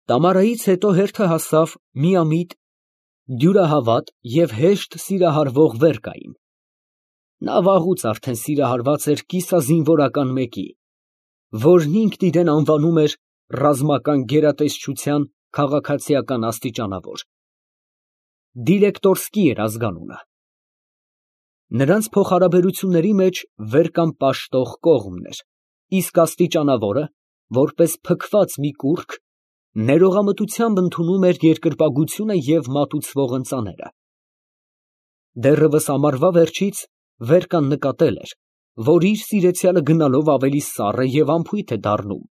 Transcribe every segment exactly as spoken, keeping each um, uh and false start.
Տամարայից հետո հերթը հասավ միամիտ, դյուրահավատ և հեշտ սիրահարվող Վերկային. նա վաղուց արդեն սիրահարված էր կիսազինվորական մեկի, որն ինքն իրան անվանում էր ռազմական գերատեսչության քաղաքացիական աստիճանավոր. Դիլեկտորսկի էր ազգանունը։ Նրանց փոխհարաբերությունների մեջ Վերկան պաշտող կողմն էր, իսկ աստիճանավորը, որպես փքված մի կուռք, ներողամտությամբ ընդունում էր երկրպագությունը և մատուցվող ընծաները։ Դեռևս ամառվա վերջից Վերկան նկատել էր, որ իր սիրեցյալը գնալով ավելի սառ է և անփույթ է դառնում,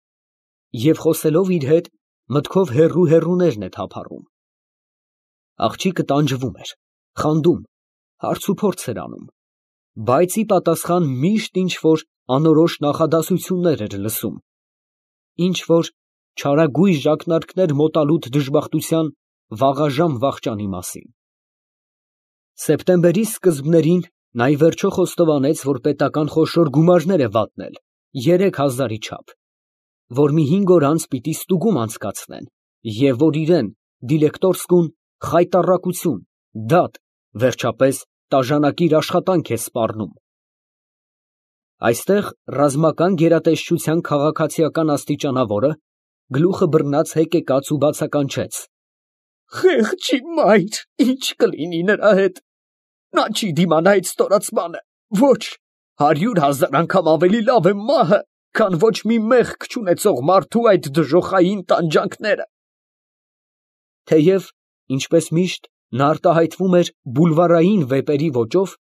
և խոսելով իր հետ, մտքով հեռու֊հեռուներն է թափառում։ Աղջիկը տանջվում էր, խանդում, հարցուփորձ էր անում, բայց ի պատասխան միշտ ինչ֊որ անորոշ նախադասություններ էր լսում, ինչ֊որ չարագույժ ակնարկներ մոտալուտ դժբախտության վաղաժամ վախճանի մասին։ Սեպտեմբերի սկզբներին նա ի վերջո խոստովանեց, որ պետական խոշոր գումարներ է վատնել, երեք հազարի չափ, որ մի հինգ օր անց պիտի ստուգում անցկացնեն, և որ իրան, Դիլեկտորսկուն, խայտառակություն, դատ, վերջապես տաժանակիր աշխատանք է սպառնում։ Այստեղ ռազմական գերատեսչության քաղաքացիական աստիճանավորը գլուխը բռնած հեկեկաց ու բացականչեց. «Խեղճի մայր, ի՞նչ կլինի նրա հետ. նա չի դիմանա այդ ստորացմանը, ոչ, հարյուր հազար անգամ ավելի լավ է մահը, քան ոչ մի մեղք չունեցող մարդու այդ դժոխային տանջանքները»։ Թեև, ինչպես միշտ, նա արտահայտվում էր բուլվարային վեպերի ոճով,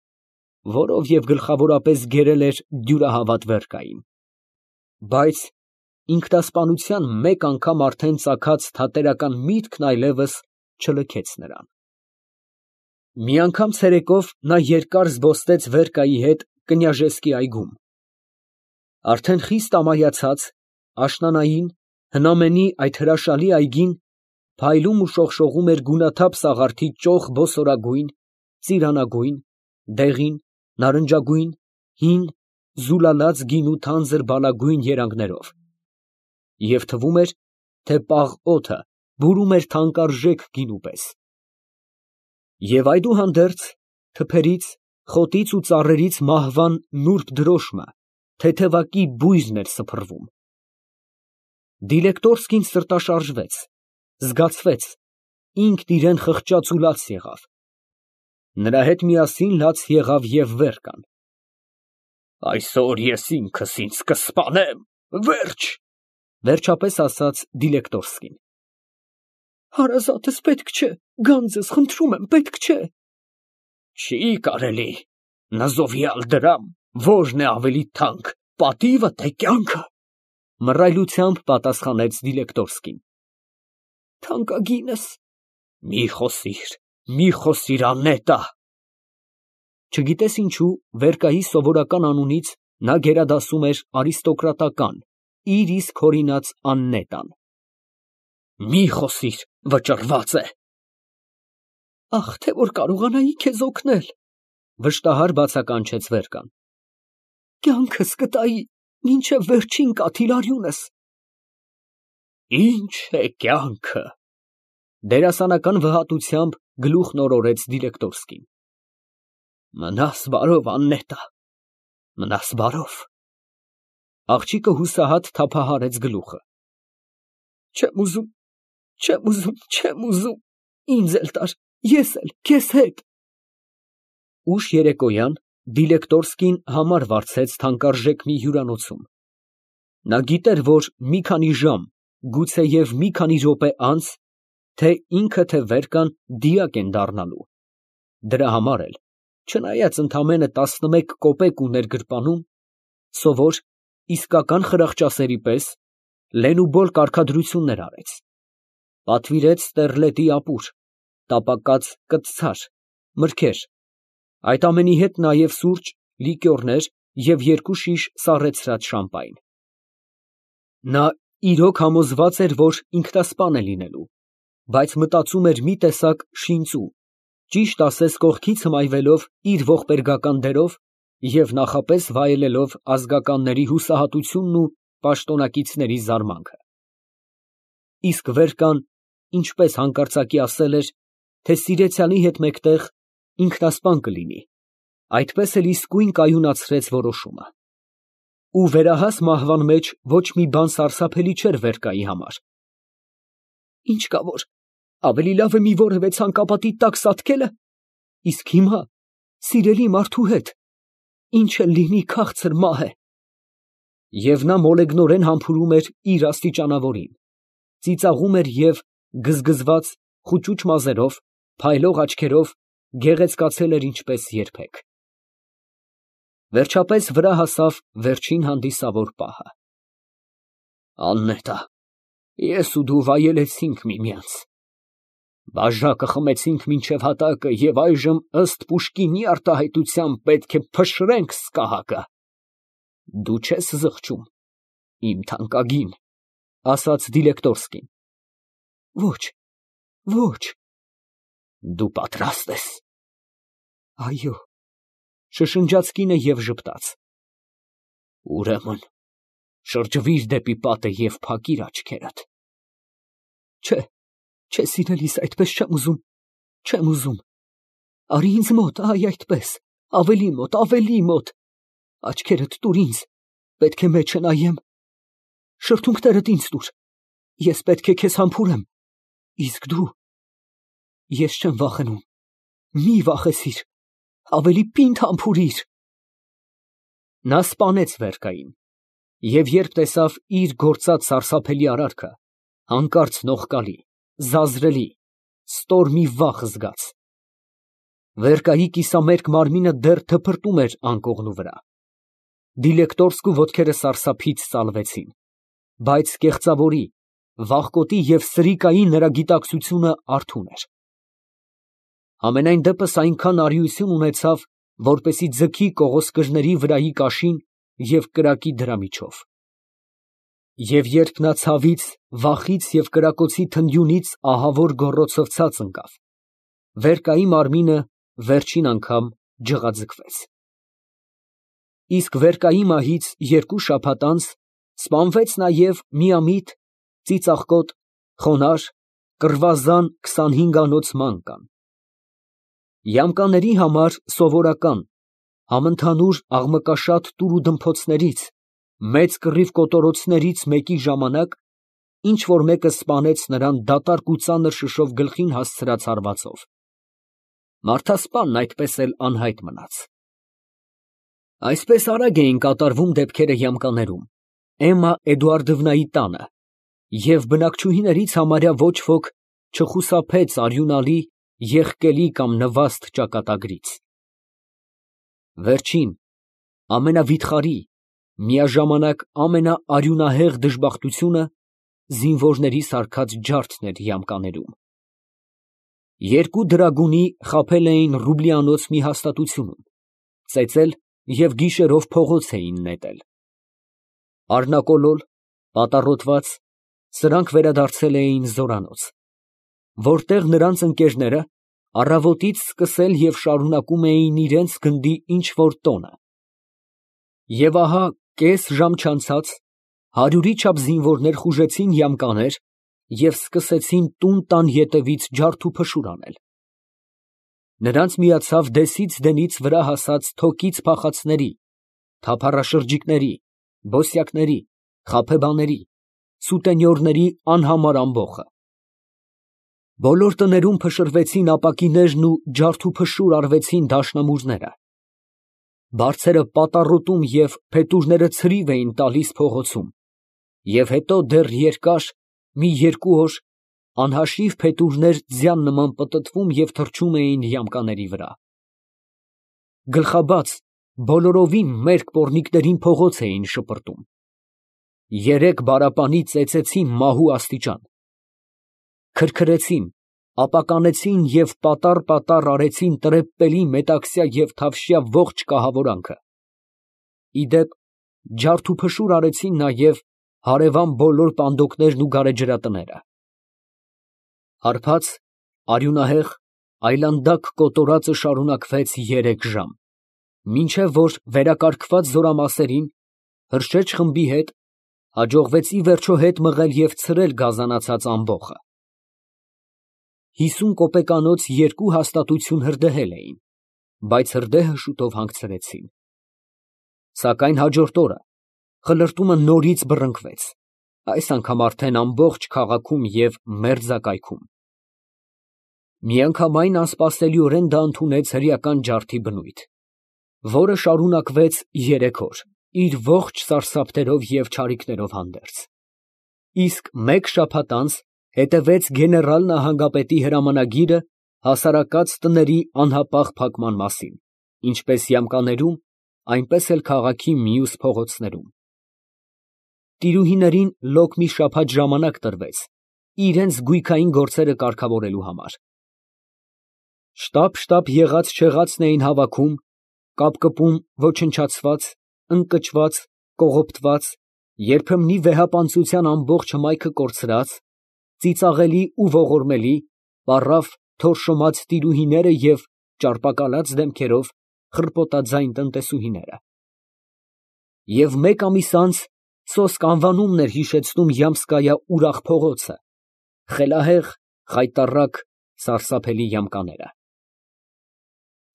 որով և գլխավորապես գերել էր դյուրահավատ Վերկային, բայց ինքնասպանության մեկ անգամ արդեն ծագած թատերական միտքն այլևս չլքեց նրան։ Մի անգամ ցերեկով նա երկար զբոսնեց Վերկայի հետ Կնյաժեսկի այգում։ Արդեն խիստ ամայացած, աշնանային, հնամենի այդ հրաշալի այգին փայլում ու շողշողում էր գունաթափ սաղարթի ճոխ բոսորագույն, ծիրանագույն, դեղին, նարնջագույն, հին, զուլալած գինու թանձր բալագույն երանգներով, և թվում էր, թե պաղ օդը բուրում էր թանկարժեք գինու պես։ Եվ այդուհանդերձ, թփերից, խոտից ու ծառերից մահվան նուրբ դրոշմը թեթևակի բույրն էր սփռվում։ Դիլեկտորսկին սրտաշարժվեց, զգացվեց, ինքն իրան խղճաց ու լաց եղավ։ Նրա հետ միասին լաց եղավ և Վերկան։ «Այսօր ես ինքս ինձ կսպանեմ, վերջ», ֊ վերջապես ասաց Դիլեկտորսկին։ «Հարազատս, պետք չէ, գանձս, խնդրում եմ, պետք չէ»։ «Չի կարելի, նզովյալ դրամ, ո՞րն է ավելի թանկ, պատիվը, թե կյանքը», ֊ մռայլությամբ պատասխանեց Դիլեկտորսկին։ «Թանկագինս»։ «Մի խոսիր, մի խոսիր, աննետա»։ Չգիտես ինչու, Վերկայի սովորական անունից նա գերադասում էր արիստոկրատական, իր իսկ հորինած Աննետան։ «Մի խոսիր, վճռված է»։ «Ախ, թե որ կարողանայի քեզ օգնել», ֊ վշտահար բացականչեց Վերկան։ «Կյանքս կտայի, մինչև վերջին կաթիլարյունս»։ «Ի՞նչ է կյանքը», ֊ դերասանական վհատությամբ գլուխն օրորեց Դիլեկտորսկին։ «Մնաս բարով, Աննետա, մնաս բարով»։ Աղջիկը հուսահատ թափահարեց գլուխը։ «Չեմ ուզում, չեմ ուզում, չեմ ուզում, ինձ էլ տար, ես էլ քեզ հետ»։ Ուշ երեկոյան Դիլեկտորսկին համար վարձեց թանկարժեք մի հյուրանոցում։ Նա գիտեր, որ մի քանի ժամ, գուցեև մի քանի րոպե անց, թե ինքը, թե Վերկան դիակ են դառնալու։ Դրա համար էլ, չնայած ընդամենը տասնմեկ կոպեկ ուներ գրպանում, սովոր, իսկական խրախճասերի պես, լենուբոլ կարգադրություններ արեց։ Պատվիրեց ստերլետի ապուր, տապակած կծցար, մրգեր, այդ ամենի հետ նաև սուրճ, լիկյորներ և երկու շիշ սառեցրած շամպայն։ Նա իրոք համոզված էր, որ ինքնասպան է լինելու, բայց մտածում էր մի տեսակ շինծու, ճիշտ ասես կողքից հմայվելով իր ողբերգական դերով և նախապես վայելելով ազգականների հուսահատությունն ու պաշտոնակիցների զարմանքը։ իսկ վեր կան, ինչպես հանկարծակի ասել էր, թե սիրեցյալի հետ մեկտեղ ինքնասպան կլինի, այդպես էլ իսկույն կայունացրեց որոշումը։ Ու վերահաս մահվան մեջ ոչ մի բան սարսափելի չէր Վերկայի համար։ Ինչ կա որ, ավելի լավ է մի որևէ ցանկապատի տակ սատկելը, իսկ հիմա սիրելի մարդու հետ, ինչ էլ լինի քաղցր մահ է։ Եվ նա մոլեգնորեն համբուրում էր իր աստիճանավորին, ծիծաղում էր և գզգզված խուճուճ մազերով, փայլող աչքերով գեղեցկացել էր ինչպես երբեք։ Վերջապես վրա հասավ վերջին հանդիսավոր պահը։ Աննետա, ես ու դու վայելեցինք միմյանց, բաժակը խմեցինք մինչև հատակը և այժմ ըստ Պուշկինի արտահայտության պետք է փշրենք սկահակը։ Դու չես զղջում, իմ թանկագին, ասաց Դիլեկտորսկին։ Ոչ, ոչ։ Դու պատրաստ ես։ Այո, շշնջաց կինը և ժպտաց։ Ուրեմն շրջվիր դեպի պատը և փակիր աչքերդ։ Չէ, չէ, սիրելիս, այդպես չեմ ուզում, չեմ ուզում։ Արի ինձ մոտ, այ այդպես, ավելի մոտ, ավելի մոտ, աչքերդ տուր ինձ, պետք է մեջը նայեմ, շրթունքներդ ինձ տուր, ես պետք է քեզ համբուրեմ, իսկ դու, ես չեմ վախենում, մի վախեցիր, ավելի պինդ համբուրիր։ Նա սպանեց Վերկային, և երբ տեսավ իր գործած սարսափելի արարքը, հանկարծ նողկալի, զազրելի, ստոր մի վախ զգաց։ Վերկայի կիսամերկ մարմինը դեռ թփրտում էր անկողնու վրա։ Դիլեկտորսկու ոտքերը սարսափից ծալվեցին, բայց կեղծավորի, վախկոտի և սրիկայի նրա գիտակցությունը արթուն էր։ Համենայն դեպս այնքան արիություն ունեցավ, որպեսզի ձգի կողոսկրների վրայի կաշին և կրակի դրա միջով։ Եվ երբ նա ցավից, վախից և կրակոցի թնդյունից ահավոր գոռոցով ցած ընկավ, Վերկայի մարմինը վերջին անգամ ջղաձգվեց։ Իսկ Վերկայի մահից երկու շաբաթ անց սպանվեց նաև միամիտ, ծիծաղկոտ, խոնարհ, կռվազան քսանհինգանոց մանկան։ Յամկաների համար սովորական, համընդհանուր աղմկաշատ տուրուդմփոցներից, մեծ կռիվ կոտորոցներից մեկի ժամանակ ինչ որ մեկը սպանեց նրան դատարկ ու ծանր շշով գլխին հասցրած հարվածով։ Մարդասպանն այդպես էլ անհայտ մնաց։ Այսպես արագ էին կատարվում դեպքերը Յամկաներում, Էմմա Էդուարդովնայի տանը, և բնակչուհիներից համարյա ոչ ոք չխուսափեց արյունալի, եղկելի կամ նվաստ ճակատագրից։ Վերջին, ամենավիթխարի, միաժամանակ ամենաարյունահեղ դժբախտությունը զինվորների սարքած ջարդն էր Յամկաներում։ Երկու դրագունի խաբել էին Ռուբլիանոց մի հաստատությունում, ծեծել և գիշերով փողոց էին նետել։ Առնակոլոլ, պատառոտված, սրանք վերադարձել էին զորանոց, որտեղ նրանց ընկերները առավոտից սկսել և շարունակում էին իրենց գնդի ինչ֊որ տոնը։ Եվ ահա կես ժամ չանցած հարյուրի չափ զինվորներ խուժեցին Յամկաներ և սկսեցին տուն տան ետևից ջարդ ու փշուր անել։ Նրանց միացավ դեսից դենից վրա հասած թոկից փախածների, թափառաշրջիկների, բոսյակների, խաբեբաների, սուտենյորների անհամար ամբոխը։ Բոլոր տներում փշրվեցին ապակիներն ու ջարդ ու փշուր արվեցին դաշնամուրները։ Բարձերը պատառոտում և փետուրները ցրիվ էին տալիս փողոցում, և հետո դեռ երկար, մի երկու օր, անհաշիվ փետուրներ ձյան նման պտտվում և թռչում էին Յամկաների վրա։ Գլխաբաց, բոլորովին մերկ պոռնիկներին փողոց էին շպրտում։ Երեք բարապանի ծեծեցին մահու աստիճան, քրքրեցին, ապականեցին և պատառ֊պատառ արեցին տրեպպելի, մետաքսյա և թավշյա ողջ կահավորանքը։ Ի դեպ, ջարդ ու փշուր արեցին նաև հարևան բոլոր պանդոկներն ու գարեջրատները։ Հարբած, արյունահեղ, այլանդակ կոտորածը շարունակվեց երեք ժամ, մինչև որ վերակարգված զորամասերին, Հրշեջ խմբի հետ, Հաջողվեց ի վերջո հետ մղել և ցրել գազանացած ամբոխը։ Հիսուն կոպեկանոց երկու հաստատություն հրդեհել էին, բայց հրդեհը շուտով հանգցրեցին։ Սակայն հաջորդ օրը խլրտումը նորից բռնկվեց, այս անգամ արդեն ամբողջ քաղաքում և մերձակայքում։ Միանգամայն անսպասելիորեն դա ընդունեց հրեական ջարդի բնույթ, որը շարունակվեց երեք օր, իր ողջ սարսափներով և չարիքներով հանդերձ, իսկ մեկ շաբաթ անց հետևեց գեներալ նահանգապետի հրամանագիրը հասարակած տների անհապաղ փակման մասին, ինչպես Յամկաներում, այնպես էլ քաղաքի մյուս փողոցներում։ Տիրուհիներին լոկ մի շաբաթ ժամանակ տրվեց իրենց գույքային գործերը կարգավորելու համար։ Շտապ֊շտապ եղած֊չեղածն էին հավաքում, կապկպում ոչնչացված, ընկճված, կողոպտված, երբեմնի վեհապանծության ամբողջ հմայքը կորցրած, ծիծաղելի ու ողորմելի, պառավ, թորշոմած տիրուհիները և ճարպակալած դեմքերով խռպոտաձայն տնտեսուհիները։ Եվ մեկ ամիս անց սոսկ անվանումն էր հիշեցնում Յամսկայա ուրախ փողոցը, խելահեղ, խայտառակ, սարսափելի յամկաները։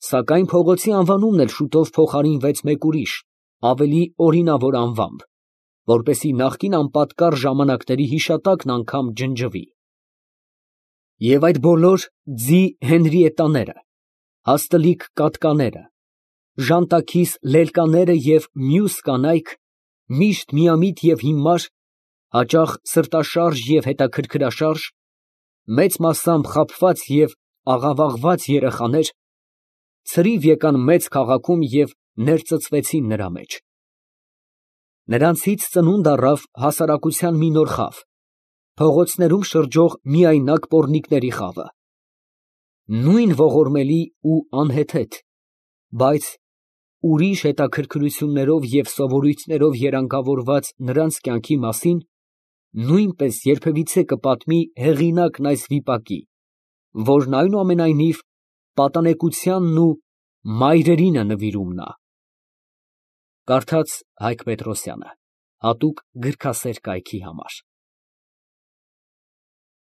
Սակայն փողոցի անվանումն էլ շուտով փոխարինվեց մեկ ուրիշ, ավելի օրինավոր անվամբ, որպեսզի նախկին անպատկառ ժամանակների հիշատակն անգամ ջնջվի։ Եվ այդ բոլոր ձի Հենրիետտաները, հաստլիկ կատկաները, ժանտաքիս լելկաները և մյուս կանայք միշտ միամիտ և հիմար, հաճախ սրտաշարժ և հետաքրքրաշարժ, մեծ մասամբ խաբված և աղավաղված երեխաներ, ցրիվ եկան մեծ քաղաքում և ներծծվեցին նրա մեջ։ Նրանցից ծնունդ առավ հասարակության մի նոր խավ, փողոցներում շրջող միայնակ պոռնիկների խավը։ Նույն ողորմելի ու անհեթեթ, բայց ուրիշ հետաքրքրություններով և սովորույթներով երանգավորված նրանց կյանքի մասին նույնպես երբևիցե կպատմի հեղինակն այս վիպակի, որն այնուամենայնիվ պատանեկությանն ու մայրերինը նվիրում նա։ Կարդաց Հայկ Պետրոսյանը, հատուկ գրքասեր կայքի համար։